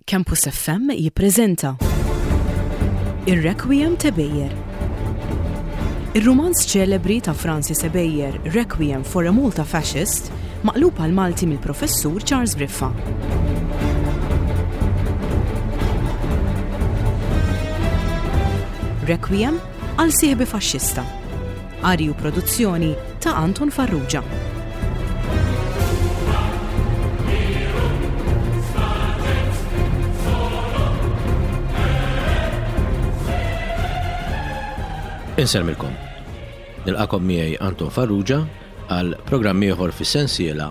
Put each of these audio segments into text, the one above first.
Campus FM jippreżenta Ir-Requiem ta' Beyer. Ir-rumanz ċelebri ta' Francis Ebejer, Requiem for a Malta Fascist, maqlub għal Malti mill-Professur Charles Briffa. Requiem għal sieħbi faxxista. Qari u produzzjoni ta' Anton Farrugia. Insellmilkom. Nilqakom miegħi Anton Farrugia għal programm ieħor fis-sensiela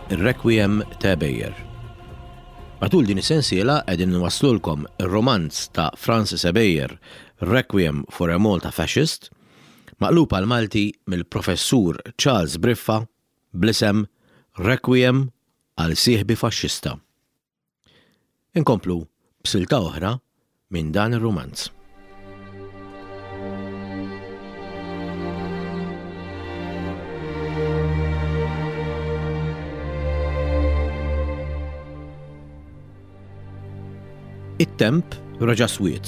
Ir-Requiem ta' Bejer. Matul din is-sensiela qegħdin nwasslulkom ir-romanz ta' Francis Ebejer Requiem for a Malta Fascist, maqlub għall-Malti mill-Professur Charles Briffa bl-isem Requiem għal sieħbi faxxista. Inkomplu b'silta oħra minn dan ir-rumanz. It-temp reġa' swied.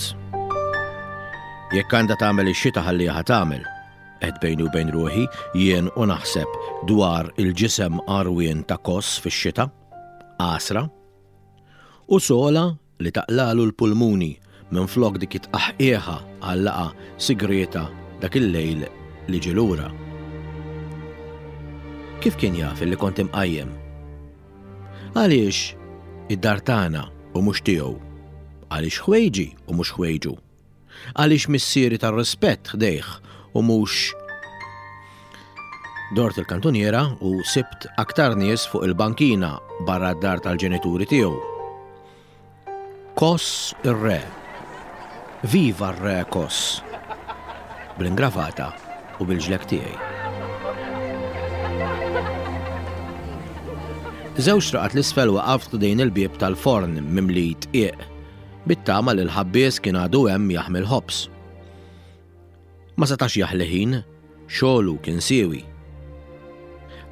Jekk għandha tagħmel ix-xita ħalliha tagħmel, għedt bejni u bejn ruħi jien u naħseb dwar il-ġisem għarwien ta' Koss fix-xita, għasra, u sola li taqlalu l-pulmuni minflok dik it-tqaħqieħa għal laqgħa sigrieta dak il-lejl li ġie lura. Kif kien jaf illi kont imqajjem? Għaliex id-dar tagħna u mhux tiegħu? Għaliex ħwejġi u mhux ħwejġu? Għaliex missieri tar-rispett ħdejh u mhux Dort il-kantuniera u sibt aktar nies fuq il-bankina barra d-dar tal-ġenituri tiegħu. Koss ir-re. Viva r-re Koss! Bl-ingravata u bil-ġlekk tiegħi. Żewġ traqat l-isfel waqaft ħdejn il-bieb tal-forn mimli tqiq, bit-tama li l-ħabbies kien għadu hemm jaħmi l-ħobż. Ma setax jaħli ħin, xogħlu kien siewi.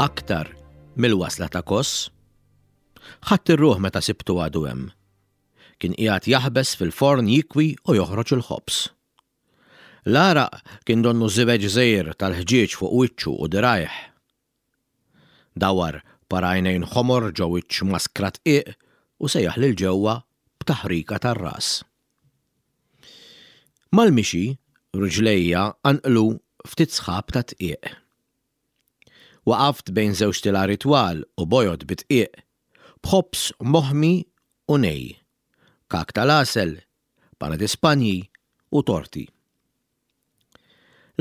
Aktar mill-wasla ta' Koss. Ħadt ir-ruħ meta sibtu għadu hemm. Kien qiegħed jaħbes fil-forn jikwi u joħroġ il-ħobż. L-għaraq kien donnu żibeġ żgħir tal-ħġieġ fuq wiċċu u dirgħajh. Dawar par għajnejn ħomor ġo wiċċ maskra tqiq u sejjaħ lil ġewwa b'taħrika tar-ras. Mal-mixi, riġlejja qanqlu ftit sħab ta' tqiq. Waqaft bejn żewġ tilari twal u bojod bid-dqiq, b'ħobż moħmi u nej, kak tal-għasel, pana di Spanji u torti.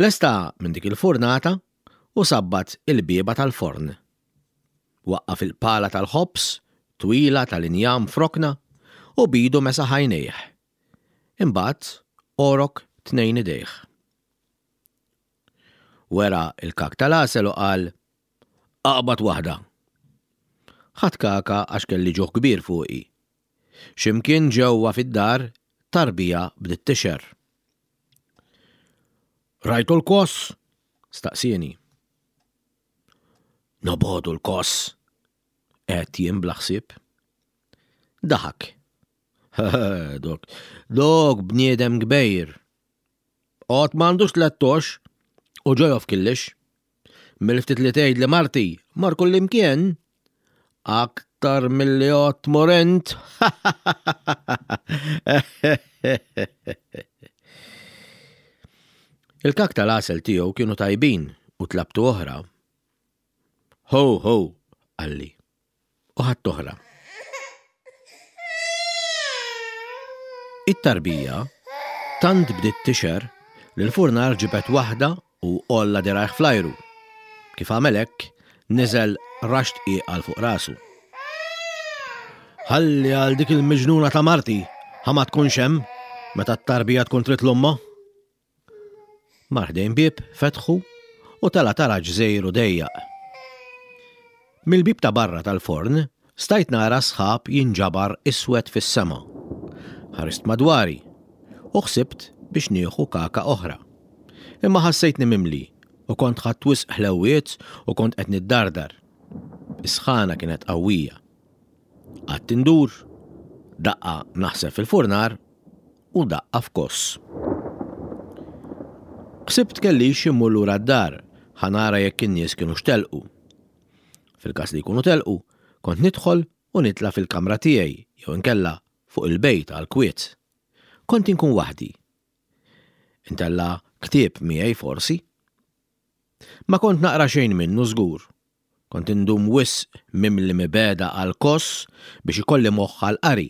Lesta minn dik il-furnata u sabbat il-bieba tal-forn. Waqqaf il-pala tal-ħobż twila tal-injam f'rokna u b'idu mesaħ għajnejh. Imbagħad għorok tnejn idejh. Wera l-kak tal-għasel u qal, Aqbad waħda. Ħadt kaka għax kelli ġuħ kbir fuqi. Xi mkien ġewwa fid-dar tarbija bdiet tixher. Rajtu l-koss? staqsieni. Nobogħdu l-koss, għedt jien bla ħsieb. Daħak. Dok, dok bniedem kbejr. Għod m'għandux tlettox u ġojof killix. Mill-ftit li tgħid li marti mar kullimkien aktar milli għod tmur int. Il-kak tal-għasel tiegħu kienu tajbin u tlabtu oħra. Ho, ho, qalli. U ħadt oħra. It-tarbija tant bdiet tixher li l-furnar ġibed waħda u għolla dirgħajh fl-ajru. Kif għamel hekk, niżel raxx dqiq għal fuq rasu. Ħalli għal dik il-miġnuna ta' marti ħa ma tkunx hemm meta t-tarbija tkun trid l-ommha. Mar ħdejn bieb, fetħu u tela' taraġ żgħir u dejjaq. Mill-bieb ta' barra tal-forn stajt nara s-sħab jinġabar iswed fis-sema. Ħarist madwari u ħsibt biex nieħu kaka oħra. Imma ħassejtni mimli u kont ħadt wisq ħlewwiet u kont qed niddardar. Is-sħana kienet qawwija. Qgħadt indur. Daqqa naħseb fil-furnar u daqqa f'koss. Ħsibt kellix immur lura d-dar ħa nara jekk in-nies kinux telqu. Fil-każ li jkunu telqu, kont nidħol u nitla' fil-kamra tiegħi jew inkella fuq il-bejt għall-kwiet. Kont inkun waħdi. Intella' ktieb miegħi forsi. Ma kont naqra xejn minnu żgur. Kont indum wisq mimli mibegħda għal Kos biex ikolli moħħ għall-qari.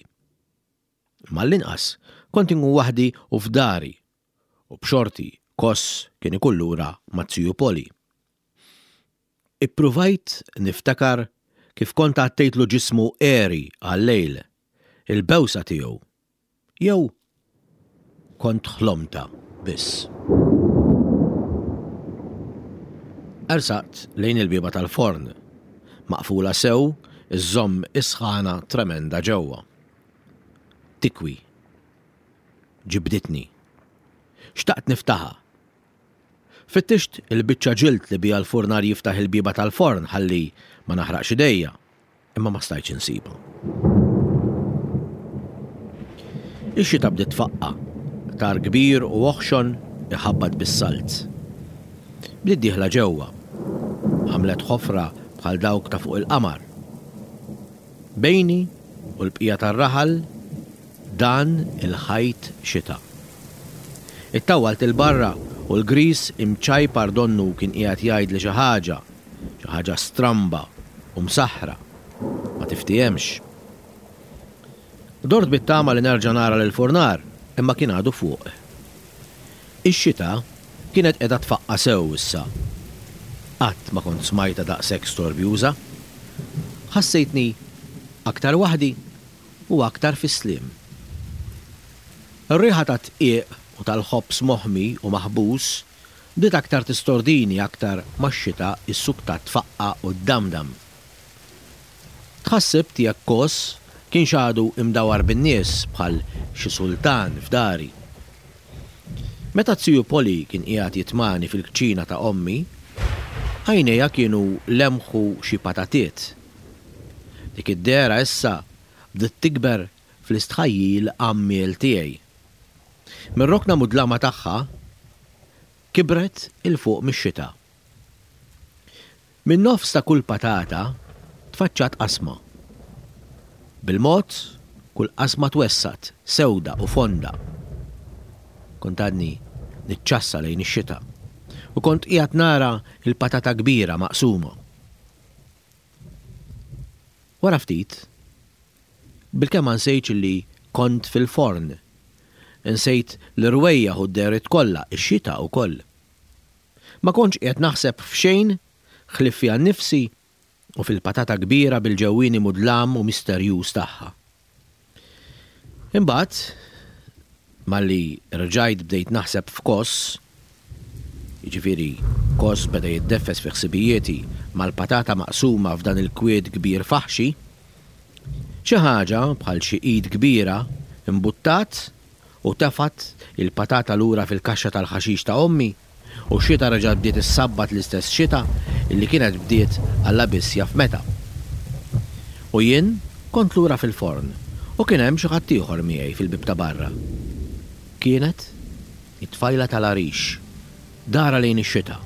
Imma għall-inqas kont inkun waħdi u f'dari, u b'xorti Kos kien ikun lura maz-ziju Poli. Ippruvajt niftakar kif kont għattejtlu ġismu għeri għal-lejl, il-bewsa tiegħu, Jew kont ħlomtha biss? Ersaqt lejn il-bieba tal-forn, maqfula sew iżżomm is-sħana tremenda ġewwa. Tikwi. Ġibditni. Xtaqt niftaħha. Fittixt il-biċċa ġild li biha l-furnar jiftaħ il-bieba tal-forn ħalli ma naħraqx idejja. Imma ma stajtx insibha. Ix-xita bdiet tfaqqa', qtar kbir u oħxon iħabbat bis-salt. Bdiet dieħla ġewwa. Għamlet ħofra bħal dawk ta' fuq il-qamar. Bejni u l-bqija tar-raħal dan il-ħajt xita. Ittawwalt 'il barra u l-griż imċajpar donnu kien qiegħed jgħidli xi ħaġa, xi ħaġa stramba u msaħħra. Ma tiftihemx. Dort bit-tama li nerġa' nara lill-furnar, imma kien għadu fuq. Ix-xita kienet qiegħda tfaqqa' sew issa. Qatt ma kont smajtha daqshekk storbjuża. Ħassejtni aktar waħdi u aktar fis-sliem. Ir-riħa tat-dqiq u tal-ħobż moħmi u maħbuż bdiet aktar tistordini aktar ma x-xita issuktat tfaqqa' u ddamdam. Tħassibt jekk Kos kienx għadu imdawar bin-nies bħal xi sultan f'dari. Meta z-ziju Poli kien qiegħed jitmagħni fil-kċina ta' ommi, għajnejha kienu lemħu xi patatiet. Dik id-dehra issa bdiet tikber fl-istħajjil għammiel tiegħi. Mir-rokna mudlama tagħha kibret 'il fuq mix-xita. Min-nofs ta' kull patata tfaċċat qasma. Bil-mod, kull qasma twessgħet, sewda u fonda. Kont għadni niċċassa lejn ix-xita u kont qiegħed nara l-patata kbira maqsuma. Wara ftit, bilkemm ma nsejtx li kont fil-forn. Insejt l-irwejjaħ u d-dehriet kollha, ix-xita wkoll. Ma kontx qiegħed naħseb f'xejn ħlief fija nnifsi u fil-patata kbira bil-ġewwieni mudlam u misterjuż tagħha. Imbagħad, malli rġajt bdejt naħseb f'Kos, jiġifieri Kos beda jiddeffes fi ħsibijieti mal-patata maqsuma f'dan il-kwiet kbir faħxi, xi ħaġa bħal xi id kbira mbuttat u tefgħet il-patata lura fil-kaxxa tal-ħaxix ta' ommi. U x-xita reġgħet bdiet issabbat l-istess xita illi kienet bdiet Alla biss jaf meta. U jien kont lura fil-forn u kien hemm xi ħadd ieħor miegħi fil-bieb ta' barra. Kienet it-tfajla tal-għarix, darha lejn ix-xita.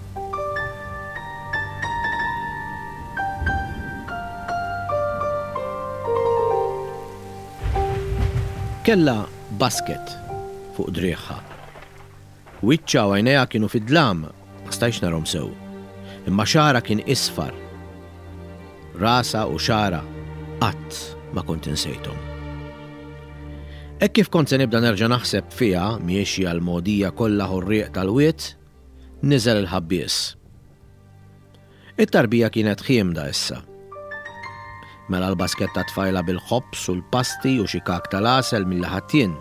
Kellha basket fuq driegħha. Wiċċha u għajnejha kienu fid-dlam, ma stajtx narhom sew. Imma xagħarha kien isfar. Rasha u xagħarha qatt ma kont insejthom. Hekk kif kont se nibda nerġa' naħseb fiha miexja l-mogħdija kollha ħurrieq tal-wied, niżel il-ħabbies. It-tarbija kienet ħiemda issa. Mela l-basket tat-tfajla bil-ħobż u l-pasti u xi kak tal-għasel milli ħadt jien.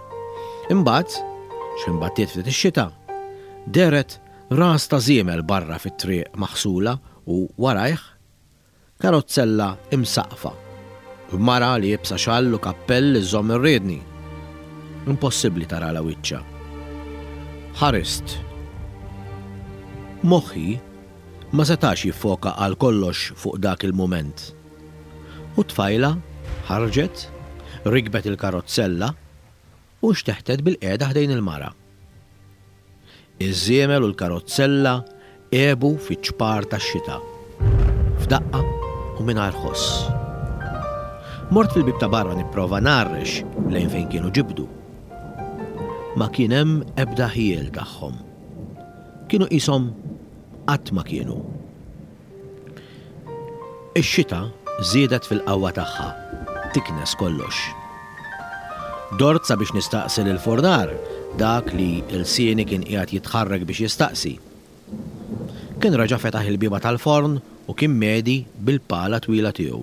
Imbagħad, x'ħin battiet ftit ix-xita, dehret ras ta' żiemel barra fit-triq maħsula u warajh, karozzella imsaqqfa, b'mara liebsa xall u kappell iżżomm ir-riedni. Impossibbli taralha wiċċha. Ħarist. Moħħi ma setax jiffoka għal kollox fuq dak il-mument. U t-tfajla ħarġet, Rikbet il-karozzella u nxteħtet bilqiegħda ħdejn il-mara. Iż-żiemel u l-karozzella għebu fiċ-ċpar tax-xita, f'daqqa u mingħajr ħoss. Mort fil-bieb ta' barra nipprova ngħarrex lejn fejn kienu ġibdu. Ma kien hemm ebda ħjiel tagħhom. Kienu qishom qatt ma kienu. Ix-xita żiedet fil-qawwa tagħha, tiknes kollox. Dort sabiex nistaqsi lill-furnar dak li lsieni kien qiegħed jitħarrek biex jistaqsi. Kien reġa' fetaħ il-bieba tal-forn u kien medi bil-pala twila tiegħu.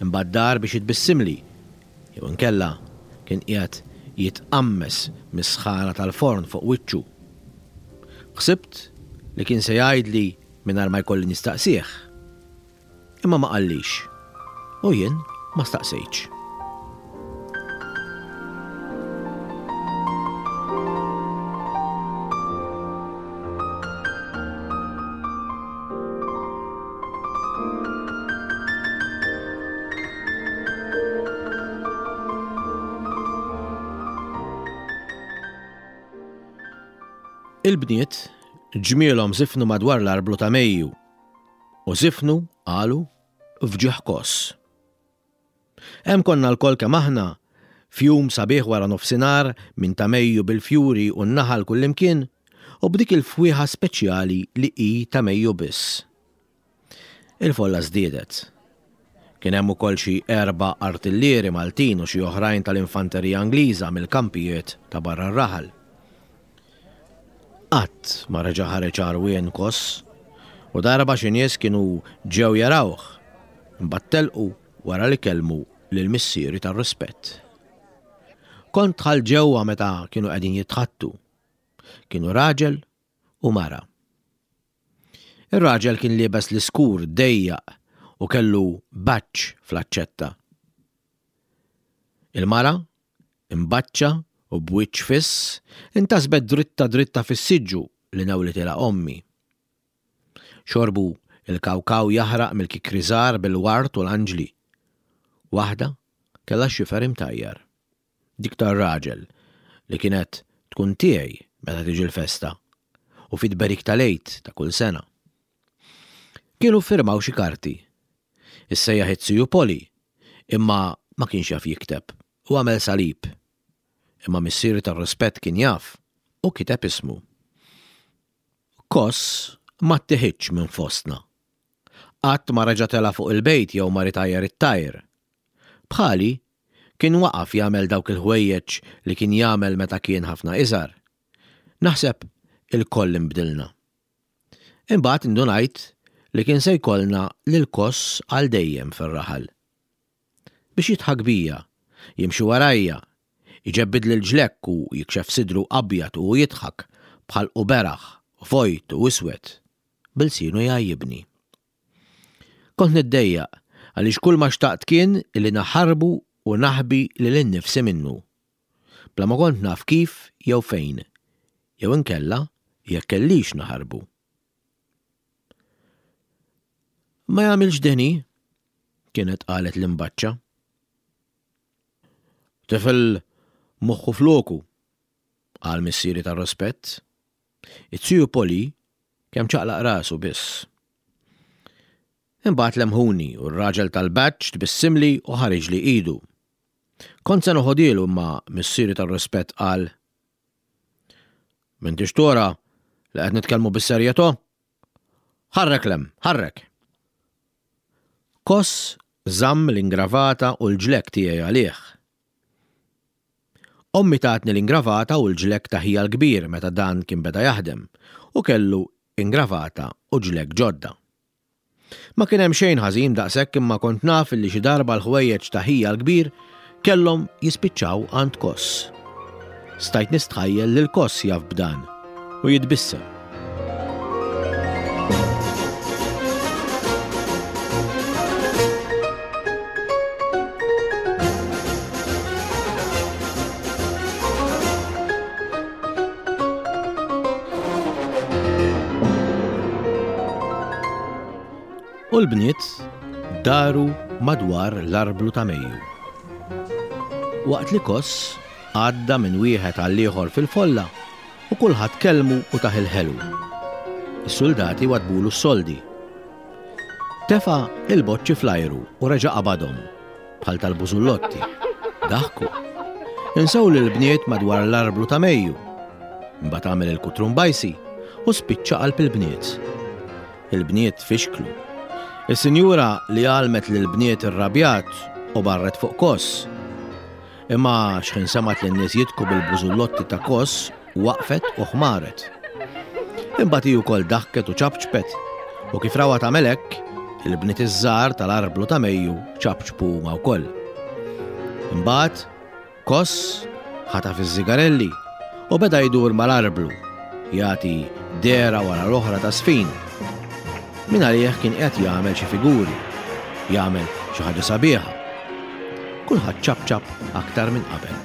Imbagħad dar biex jitbissimli, jew inkella kien qiegħed jitqammes mis-sħana tal-forn fuq wiċċu. Ħsibt li kien se jgħidli mingħajr ma jkolli nistaqsih. Imma ma qallix. U jien ma staqsejtx. Il-bniet ġmielhom żifnu madwar l-arblu ta' Mejju u żifnu, qalu, f'ġieħ Koss. Hemm konna lkoll kemm aħna, f'jum sabiħ wara nofsinhar minn ta' Mejju bil-fjuri u n-naħal kullimkien u b'dik il-fwieħa speċjali li hi ta' Mejju biss. Il-folla żdiedet. Kien hemm ukoll xi erba' artillieri Maltin u xi oħrajn tal-infanterija Ingliża mill-kampijiet ta' barra r-raħal. Qatt ma reġa' ħareġ għarwien Koss, u darba xi nies kienu ġew jarawh, imbagħad telqu wara li kellmu lil missieri tar-rispett. Kont dħalt ġewwa meta kienu qegħdin jitħaddtu. Kienu raġel u mara. Ir-raġel kien liebes l-iskur dejjaq u kellu baċċ fl-aċċetta. Il-mara, imbaċċa u b'wiċċ fiss, intasbet dritta dritta fis-siġġu li newlitilha ommi. Xorbu l-kawkaw jaħraq mill-kikri żgħar bil-ward u l-anġli. Waħda kellha x-xifer imtajjar. Dik tar-raġel li kienet tkun tiegħi meta tiġi l-festa u fit-tberik tal-Għid ta' kull sena. Kienu ffirmaw xi karti. Issejjaħ iz-ziju Poli, imma ma kienx jaf jikteb u għamel salib. Imma missieri tar-rispett kien jaf u kiteb ismu. Koss ma ttiħidx minn fostna. Qatt ma reġa' tela' fuq il-bejt jew mar itajjar it-tajr. Bħali, kien waqaf jagħmel dawk il-ħwejjeġ li kien jagħmel meta kien ħafna iżgħar. Naħseb ilkoll inbdilna. Imbagħad indunajt li kien se jkollna lil Koss għal dejjem fir-raħal. Biex jidħak bija, jimxi warajja, iġebbidli l-ġlekk u jikxef sidru abjad u hu jidħak, b'ħalqu beraħ, vojt u iswed, b'ilsienu jgħajjibni. Kont niddejjaq għaliex kulma xtaqt kien li naħarbu u naħbi lili nnifsi minnu. Bla ma kont naf kif jew fejn, jew inkella jekk kellix naħarbu. Ma jagħmilx deni, kienet qalet l-imbaċċa. Tifel moħħu floku, qal missieri tar-rispett. Iz-ziju Poli kemm ċaqlaq rasu biss. Imbagħad lemħuni u r-raġel tal-badge tbissimli u ħariġli idu. Kont se noħodielu imma missieri tar-rispett qal, M'intix tora li qed nitkellmu bis-serjetà? Ħarrek 'l hemm, ħarrek! Koss żamm l-ingravata u l-ġlekk tiegħi għalih. Ommi tatni l-ingravata u l-ġlekk ta' ħija l-kbir meta dan kien beda jaħdem u kellu ingravata u ġlekk ġodda. Ma kien hemm xejn ħażin daqshekk imma kont naf illi xi darba l-ħwejjeġ ta' ħija l-kbir kellhom jispiċċaw għand Koss. Stajt nistħajjel lil Koss jaf b'dan u jitbissem. U l-bniet daru madwar l-arblu ta' Mejju. Waqt li Koss għadda minn wieħed għall-ieħor fil-folla u kulħadd kellmu u tah il-ħelu. Is-suldati waddbulu s-soldi. Tefa' il-boċċi fl-ajru u reġa' qabadhom, bħal tal-bużullotti. Daħku. Insew lill-bniet madwar l-arblu ta' Mejju. Imbagħad għamel il-kutrumbajsi u spiċċa qalb il-bniet. Il-bniet fixklu. Is-sinjura li għallmet lill-bniet irrabjat u barret fuq Koss. Imma x'ħin semgħet lin-nies jidhku bil-bużullotti ta' Koss, waqfet u ħmaret. Imbagħad hi wkoll daħket u ċapċpet, u kif rawha tagħmel hekk, il-bniet iż-żgħar tal-arblu ta' Mejju ċapċpu huma wkoll. Imbagħad Koss ħataf iż-żigarelli u beda jdur mal-arblu, jagħti dehra wara l-oħra ta' żfin. Mingħalih kien qiegħed jagħmel xi figuri, jagħmel xi ħaġa sabiħa. Kulħadd ċapċap aktar minn qabel.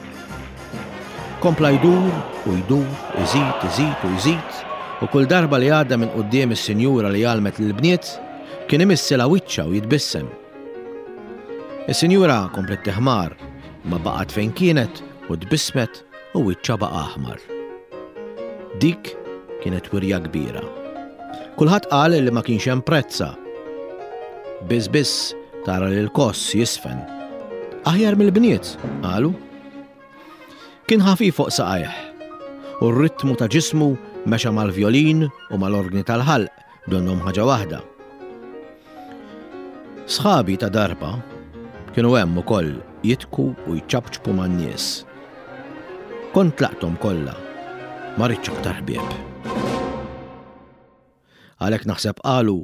Kompla jdur u jdur, iżid, iżid u jżid, u kull darba li għadda minn quddiem is-sinjura li għallmet lill-bniet, kien imissilha wiċċha u jitbissem. Is-sinjura kompliet tiħmar, imma baqgħet fejn kienet u tbissmet u wiċċha baqa' aħmar. Dik kienet wirja kbira. Kulħadd qal li ma kienx hemm prezza. Biss biss tara lil Koss jisfen. Aħjar mill-bniet, qalu. Kien ħafif fuq saqajh u r-ritmu ta' ġismu mexa mal-vjolin u mal-orgni tal-ħalq donnhom ħaġa waħda. Sħabi ta' darba kienu hemm ukoll jidhku u jċapċpu man-nies. Kont tlaqthom kollha, ma ridtx aktar ħbieb. Għalhekk naħseb qalu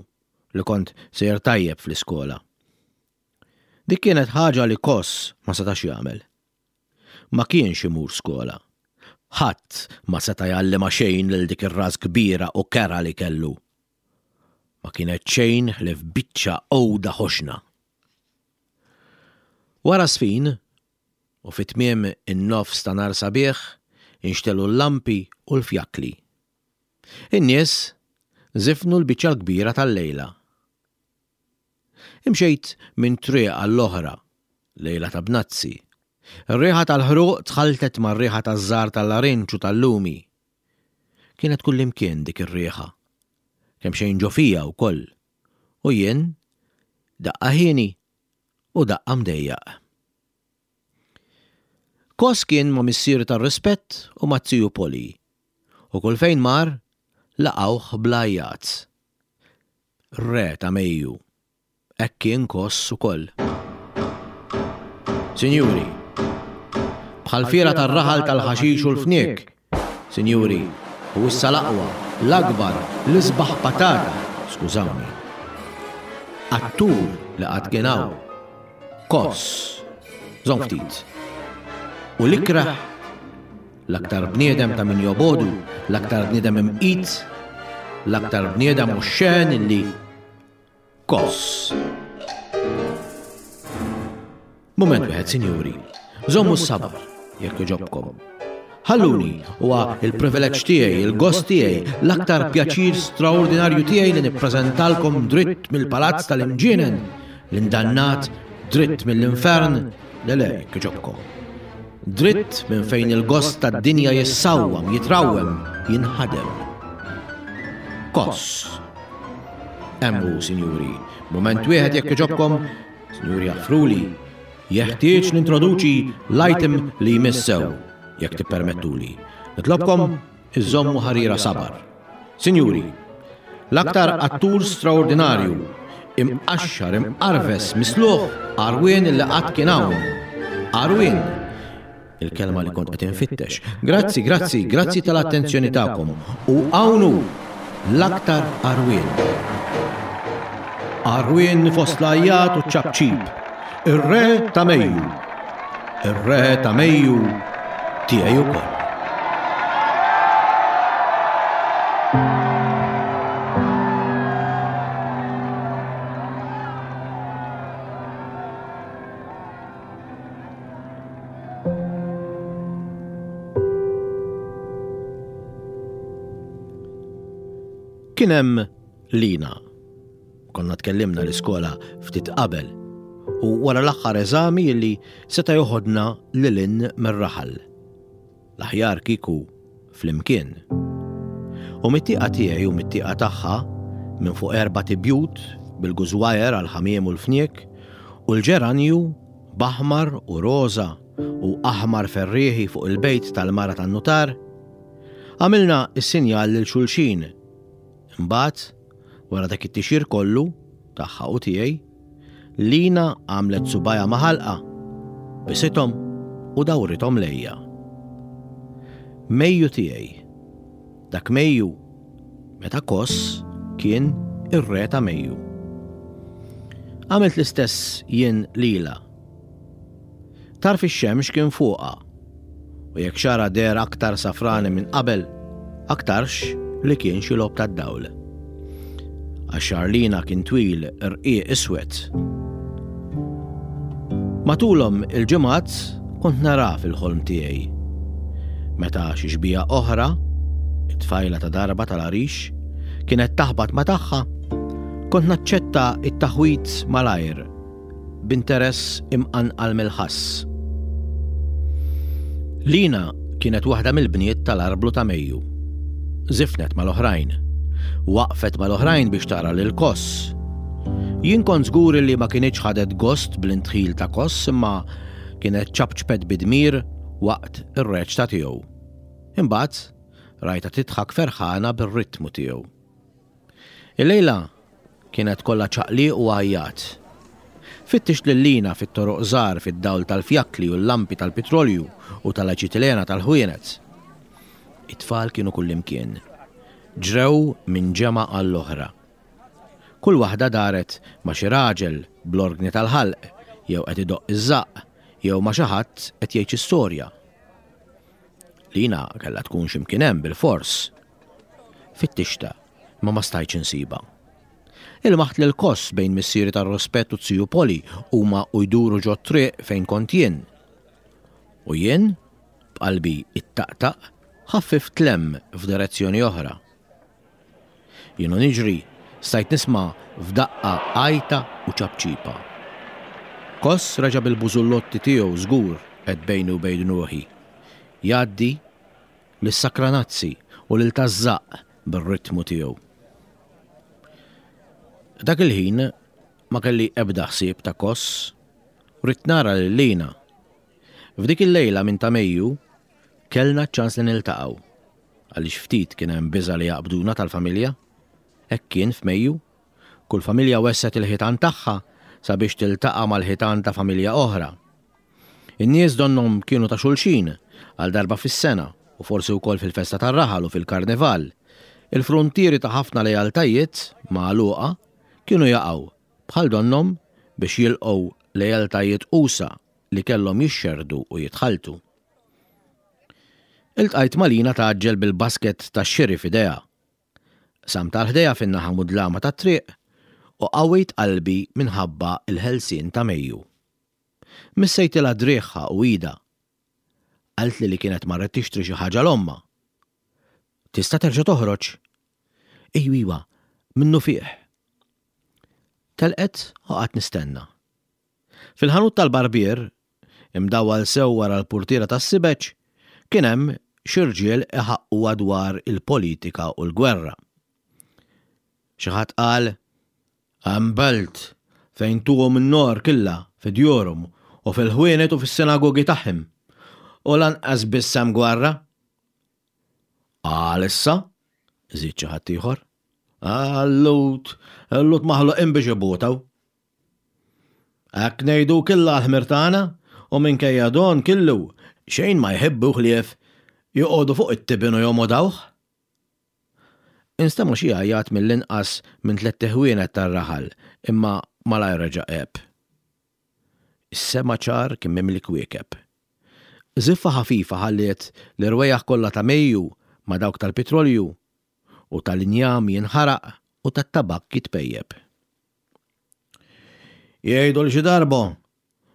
li kont sejjer tajjeb fl-iskola. Dik kienet ħaġa li Koss ma setax jagħmel. Ma kienx imur skola. Ħadd ma seta' jgħallimha xejn lil dik ir-ras kbira u kerha li kellu. Ma kienet xejn ħlief biċċa għuda ħoxna. Wara żfin, u fi tmiem in-nofs ta' nhar sabiħ, inxtegħlu l-lampi u l-fjakkli. In-nies żifnu l-biċċa l-kbira tal-lejla. Imxejt minn triq għall-oħra, lejla ta' bnazzi. Ir-riħa tal-ħruq tħalltet mar-riħa taż-żahar tal-larinġ u tal-lumi. Kienet kullimkien dik ir-riħa. Kemxejn ġo fija wkoll. U jien, daqqa hieni u daqqa mdejjaq. Kos kien ma' missieri tar-rispett u mat-ziju Poli. U kull fejn mar, laqgħuh bl-għajjat. Re ta' Mejju. Hekk kien Koss ukoll. Sinjuri, bħall-fiera tar-raħal tal-ħaxix u l-fniek, sinjuri, u issa l-aqwa, l-akbar, l-isbaħ patata, skużawni. Attur li qatt kien hawn. Koss. Żomm ftit. U l-ikrah, l-aktar bniedem ta' min jobogħdu, l-aktar bniedem imqit, l-aktar bniedem oxxen illi Koss. Mument wieħed, sinjuri. Żommu s-sabar, jekk jogħġobkom. Ħalluni, huwa il-privileġġ tiegħi, il-gost tiegħi, l-aktar pjaċir straordinarju tiegħi li nippreżentalkom dritt mill-palazz tal-imġienen, l-indannat dritt mill-infern, le le, jekk jogħġobkom. Dritt minn fejn il-gost tad-dinja jissawwam, jitrawwem, jinħadem. Koss. Hemm hu, sinjuri. Mument wieħed jekk jogħġobkom, sinjuri jaħfruli, jeħtieġ nintroduċi l-item li jmiss sew, jekk tippermettuli. Nitlobkom iżommu ħarira sabar. Sinjuri, l-aktar attur straordinarju, imqaxxar, imqarves, misluħ, għarwien li qatt kien hawn. Għarwien! Il-kelma li kont qed infittex. Grazzi, grazzi, grazzi tal-attenzjoni tagħkom. U hawn hu, l-aktar għarwien. Għarwien fost l-għajjat u ċ-ċapċip. Ir-Re ta' Mejju. Ir-Re ta' Mejju tiegħi wkoll. Kien hemm Lina. Konna tkellimna l-iskola ftit qabel. U wara l-aħħar eżami li seta' joħodna lil hinn mir-raħal. L-aħjar kieku flimkien. U mit-tieqa tiegħi u mit-tieqa tagħha, minn fuq erbat ibjut bil-gużwajer għall-ħamiem u l-fniek, u l-ġeranju b'aħmar u roża u aħmar ferrieħi fuq il-bejt tal-mara tan-nutar, għamilna s-sinjal lil xulxin. Imbagħad, wara dak it-tixir kollu, tagħha u tiegħi, Lina għamlet subgħajha ma' ħalqha, bisithom u dawrithom lejja. Mejju tiegħi. Dak Mejju, meta Koss kien ir-re ta' Mejju. Għamilt l-istess jien lilha. Tarf ix-xemx kien fuqha, u jekk xagħarha deher aktar safrani minn qabel, aktarx li kien xi logħob tad-dawl. Għax xagħar Lina kien twil, rqiq, iswed. Matulhom il-ġimgħat kont nara fil-ħolm tiegħi. Meta xi xbieha oħra, it-tfajla ta' darba tal-għarix, kienet taħbat ma' tagħha, kont naċċetta t-taħwid malajr b'interess imqanqal mill-ħass. Lina kienet waħda mill-bniet tal-arblu ta' Mejju. Żifnet mal-oħrajn. Waqfet mal-oħrajn biex tara lil Koss. Jien kont żgur li ma kinitx ħadet gost bl-indħil ta' Koss imma kienet ċapċpet bi dmir waqt ir-reċta tiegħu. Imbagħad rajtha tidħak ferħana bir-ritmu tiegħu. Illejla kienet kollha ċaqliq u għajjat. Fittixt lil Lina fit-toroq żgħar fid-dawl tal-fjakkli u l-lampi tal-pitrolju u tal-aċitilena tal-ħwienet. It-tfal kienu kullimkien. Ġrew minn ġemgħa għall-oħra. Kull waħda daret ma' xi raġel bl-orgni tal-ħalq jew qed idoqq iż-żaqq jew ma' xi ħadd qed jgħid xi storja. Lina kellha tkun xi mkien hemm bilfors. Fittixtha, imma ma stajtx insibha. Ilmaħt lil Koss bejn missieri tar-Rospett u z-ziju Poli huma u jduru ġot-triq fejn kont jien. U jien, b'qalbi ittaqtaq, ħaffift 'l hemm f'direzzjoni oħra. Jien u niġri, stajt nisma' f'daqqa għajta u ċapċipa. Koss reġa' bil-bużullotti tiegħu żgur, għedt bejni u bejn ruħi. Jgħaddi lis-sakranazzi u lil taż-żaqq bir-ritmu tiegħu. Dak il-ħin ma kelli ebda ħsieb ta' Koss, ridt nara lil Lina. F'dik il-lejla minn ta' Mejju kellna ċ-ċans li niltaqgħu, għaliex ftit kien hemm biża' li jaqbduna tal-familja. Hekk kien f'Mejju, kull familja wessgħet il-ħitan tagħha sabiex tiltaqa' mal-ħitan ta' familja oħra. In-nies donnhom kienu ta' xulxin, għal darba fis-sena, u forsi wkoll fil-festa tar-raħal u fil-karnival. Il-fruntieri ta' ħafna lealtajiet magħluqa kienu jaqgħu, bħal donnhom biex jilqgħu lealtajiet usa' li kellhom jixxerrdu u jitħalltu. Iltqajt ma' Lina tgħaġġel bil-basket tax-xiri f'idejha. Qsamt għal ħdejha fin-naħa mudlama tat-triq u qawwejt qalbi minħabba l-ħelsien ta' Mejju. Missejtilha driegħha u idha. Qaltli li kienet marret tixtri xi ħaġa 'l ommha. Tista' terġa' toħroġ? Ejju iwa, minnufih. Telqet u qgħadt nistenna. Fil-ħanut tal-barbier, imdawwal sew wara l-purtiera tas-sibeġ, kien hemm xi rġiel iħaqqu dwar il-politika u l-gwerra. Xi ħadd qal, Hemm belt fejn tuhom in-nar killha fi djurhom u fil-ħwienet u fis-sinagogi tagħhim, u lanqas biss hemm gwerra. Għal issa, żied xi ħadd ieħor, il-Lhud, il-Lhud maħluqin biex ibutaw. Hekk ngħidu killha għall-ħmir tagħna, u minkejja don killu, xejn ma jħibbu ħlief joqogħdu fuq it-tibin u jomodawh. Instema' xi għajjat mill-inqas minn tlett iħwienet tar-raħal, imma malajr reġa' għeb. Is-sema ċar kien mimli kwiekeb. Żiffa ħafifa ħalliet l-irwejjaħ kollha ta' Mejju ma' dawk tal-pitrolju u tal-injam jinħaraq u tat-tabakk jitpejjep. Jgħidu li xi darba,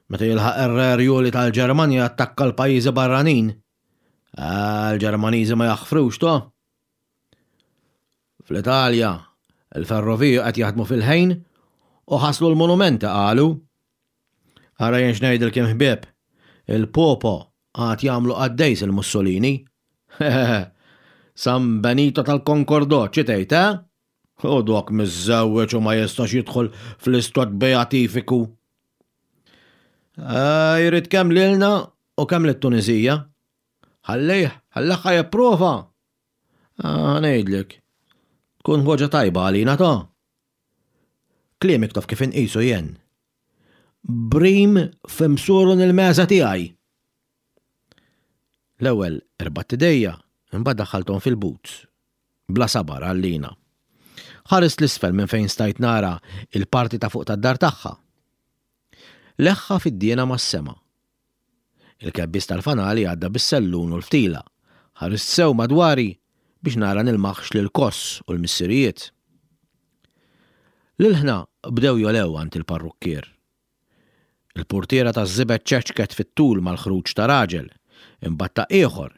meta jilħaq ir-Re Rjuli tal-Ġermanja jattakka l-pajjiżi barranin, Ah, l-Ġermaniżi ma jaħfrux to. Fl-Italja, il-ferroviji qed jaħdmu fil-ħin u ħaslu l-monumenti qalu. Ara jien x'ngħidilkiem ħbieb, il-Popo għad jagħmlu qaddejs il-Mussolini. San Benito tal-Konkordò, xi tgħid, eh? U dok miżżewweġ u ma jistax jidħol fl-istat beatifiku. Eh, jrid kemm lilna u kemm lit-Tunisija. Ħallih, ħallih ħa jipprova. Ah, ngħidlek. Tkun ħoġa tajba għalina ta'. Kliemek taf kif inqisu jien. Brim f'imsurun il-meża tiegħi. L-ewwel irbatt idejja, imbagħad daħħalthom fil-boots. Bla sabar għal Lina. Ħarist l-isfel minn fejn stajt nara il-parti ta' fuq tad-dar tagħha. Leħħa fid-diena mas-sema. Il-kebbies tal-fanali għadda bis-sellun u l-ftila. Ħarist sew madwari biex nara nilmaħx lil Koss u l-missirijiet. L-ilħna bdew jogħlew għand il-parrukkier. Il-purtiera taż-żibet ċeċket fit-tul mal-ħruġ ta' raġel, imbagħad ta' ieħor,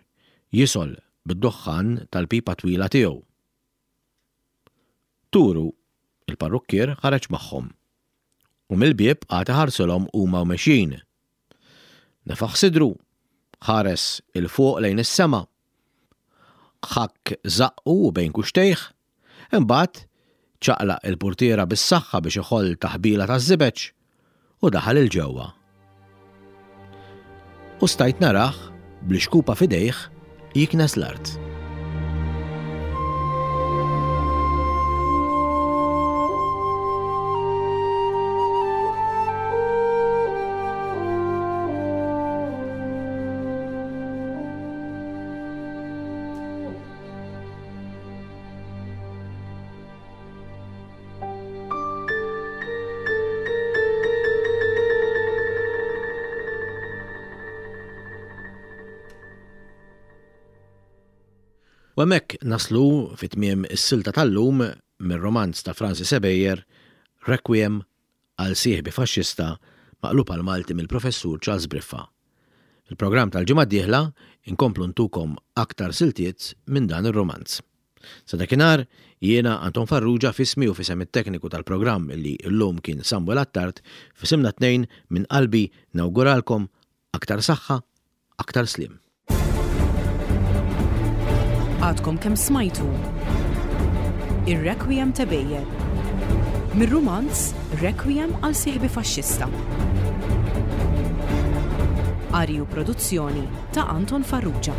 jisgħol bid-duħħan tal-pipa twila tiegħu. Turu, il-parrukkier ħareġ magħhom u mill-bieb qagħad iħarsilhom huma u mexjin. Nefaħ sidru, ħares 'il fuq lejn is-sema. Ħakk żaqqu u bejn kuxtejh, imbagħad ċaqlaq il-purtiera bis-saħħa biex iħoll taħbila taż-żibeġ u daħal 'il ġewwa. U stajt narah bl-ixkupa f'idejh jiknes l-art. U hemmhekk naslu fi tmiem is-silta tal-lum mir-romanz ta' Francis Ebejer, Requiem għal sieħbi faxxista maqlub għall-Malti mill-Professur Charles Briffa. Fil-programm tal-ġimgħa d-dieħla inkomplu ntukom aktar siltiet minn dan ir-rumanz. Sa dakinhar, jiena Anton Farrugia f'ismi u f'isem it-tekniku tal-programm li llum kien Samuel Attard, f'isimna t-tnejn minn qalbi nawguralkom aktar saħħa, aktar sliem. Għadkom kemm smajtu Ir-Requiem ta' Beyer mir-rumanz Requiem għal sieħbi faxxista. Qari u produzzjoni ta' Anton Farrugia.